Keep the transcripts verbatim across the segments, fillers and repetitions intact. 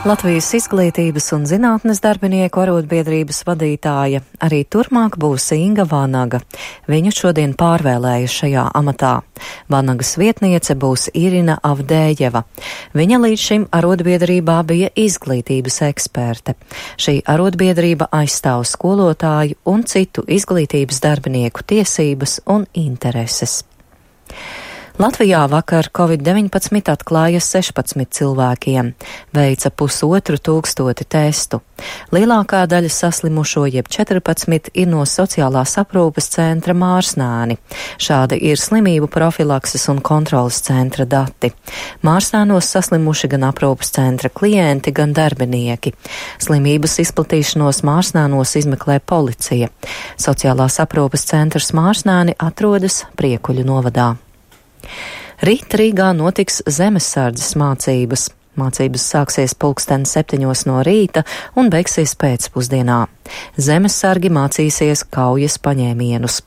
Latvijas izglītības un zinātnes darbinieku arotbiedrības vadītāja arī turpmāk būs Inga Vanaga. Viņu šodien pārvēlēja šajā amatā. Vanagas vietniece būs Irina Avdējeva. Viņa līdz šim arotbiedrībā bija izglītības eksperte. Šī arotbiedrība aizstāv skolotāju un citu izglītības darbinieku tiesības un intereses. Latvijā vakar covid deviņpadsmit atklāja sešpadsmit cilvēkiem, veica pusotru tūkstoti testu. Lielākā daļa saslimušo, jeb četrpadsmit, ir no sociālās aprūpes centra Mārsnāni. Šādi ir slimību profilakses un kontrolas centra dati. Mārsnānos saslimuši gan aprūpes centra klienti, gan darbinieki. Slimības izplatīšanos Mārsnānos izmeklē policija. Sociālās aprūpes centrs Mārsnāni atrodas Priekuļu novadā. Rīt Rīgā notiks zemesardzes mācības. Mācības sāksies pulksten septiņos no rīta un beigsies pēcpusdienā. Zemesargi mācīsies kaujas paņēmienus.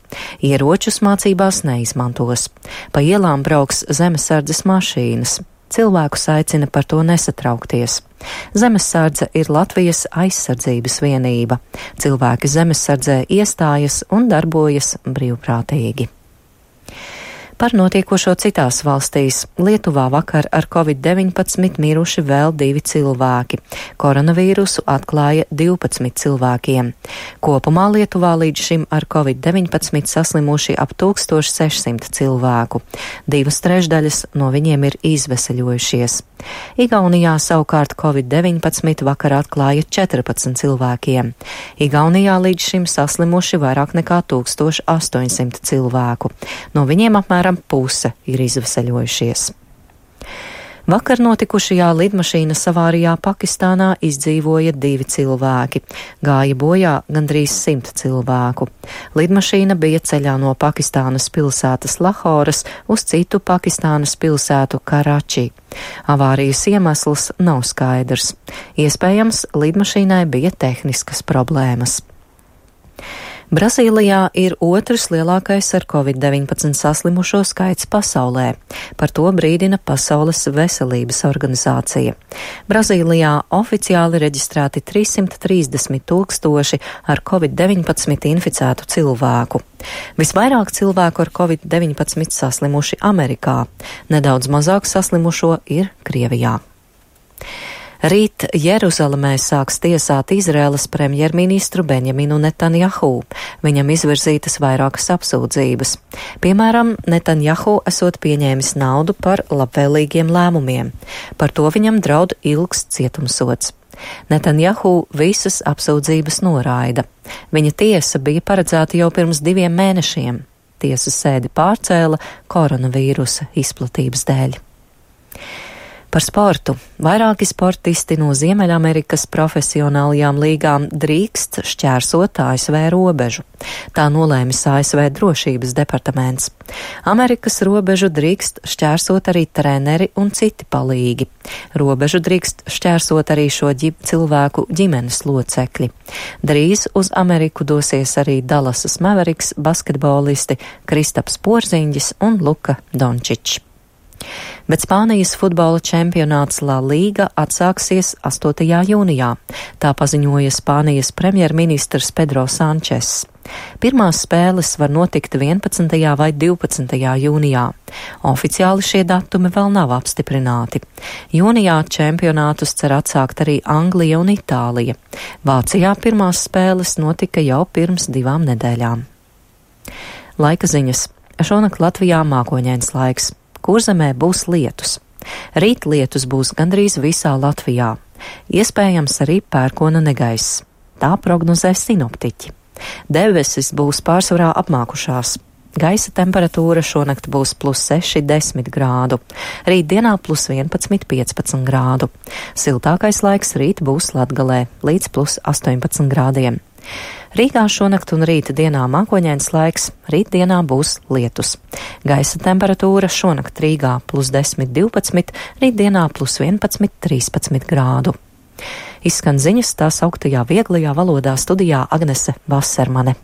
Ieročus mācībās neizmantos. Pa ielām brauks zemesardzes mašīnas. Cilvēkus aicina par to nesatraukties. Zemesardze ir Latvijas aizsardzības vienība. Cilvēki zemesardzē iestājas un darbojas brīvprātīgi. Par notiekošo citās valstīs. Lietuvā vakar ar covid deviņpadsmit miruši vēl divi cilvēki. Koronavīrusu atklāja divpadsmit cilvēkiem. Kopumā Lietuvā līdz šim ar covid deviņpadsmit saslimuši ap tūkstoš sešsimt cilvēku. Divas trešdaļas no viņiem ir izveseļojušies. Igaunijā savukārt covid deviņpadsmit vakar atklāja četrpadsmit cilvēkiem. Igaunijā līdz šim saslimuši vairāk nekā tūkstoš astoņsimt cilvēku. No viņiem apmēram puse ir izveseļojušies. Vakar notikušajā lidmašīnas avārijā Pakistānā izdzīvoja divi cilvēki. Gāja bojā gandrīz simt cilvēku. Lidmašīna bija ceļā no Pakistānas pilsētas Lahoras uz citu Pakistānas pilsētu Karači. Avārijas iemesls nav skaidrs. Iespējams, lidmašīnai bija tehniskas problēmas. Brazīlijā ir otrs lielākais ar covid deviņpadsmit saslimušo skaits pasaulē. Par to brīdina Pasaules veselības organizācija. Brazīlijā oficiāli reģistrēti trīssimt trīsdesmit tūkstoši ar covid deviņpadsmit inficētu cilvēku. Visvairāk cilvēku ar covid deviņpadsmit saslimuši Amerikā. Nedaudz mazāk saslimušo ir Krievijā. Rīt Jeruzalemē sāks tiesāt Izraēlas premjerministru Benjaminu Netanjahu. Viņam izvirzītas vairākas apsūdzības. Piemēram, Netanjahu esot pieņēmis naudu par labvēlīgiem lēmumiem. Par to viņam draud ilgs cietumsods. Netanjahu visas apsūdzības noraida. Viņa tiesa bija paredzēta jau pirms diviem mēnešiem. Tiesas sēdi pārcēla koronavīrusa izplatības dēļ. Par sportu. Vairāki sportisti no Ziemeļamerikas profesionālajām līgām drīkst šķērsot A S V robežu. Tā nolēmis A S V drošības departaments. Amerikas robežu drīkst šķērsot arī treneri un citi palīgi. Robežu drīkst šķērsot arī šo ģi- cilvēku ģimenes locekļi. Drīz uz Ameriku dosies arī Dallasas Mavericks basketbolisti Kristaps Porziņģis un Luka Dončičs. Bet Spānijas futbola čempionāts La Liga atsāksies astotajā jūnijā. Tā paziņoja Spānijas premjerministrs Pedro Sančes. Pirmās spēles var notikt vienpadsmitajā vai divpadsmitajā jūnijā. Oficiāli šie datumi vēl nav apstiprināti. Jūnijā čempionātus cer atsākt arī Anglija un Itālija. Vācijā pirmās spēles notika jau pirms divām nedēļām. Laika ziņas. Šonakt Latvijā mākoņains laiks. Kurzemē būs lietus. Rīt lietus būs gandrīz visā Latvijā. Iespējams arī pērkona negaiss. Tā prognozē sinoptiķi. Debesis būs pārsvarā apmākušās. Gaisa temperatūra šonakt būs plus seši desmit grādu. Rītdienā plus vienpadsmit piecpadsmit grādu. Siltākais laiks rīt būs Latgalē līdz plus astoņpadsmit grādiem. Rīgā šonakt un rīta dienā mākoņains laiks, rītdienā būs lietus. Gaisa temperatūra šonakt Rīgā plus desmit divpadsmit, rītdienā plus vienpadsmit trīspadsmit grādu. Izskan ziņas tās augtajā vieglajā valodā studijā Agnese Vasermane.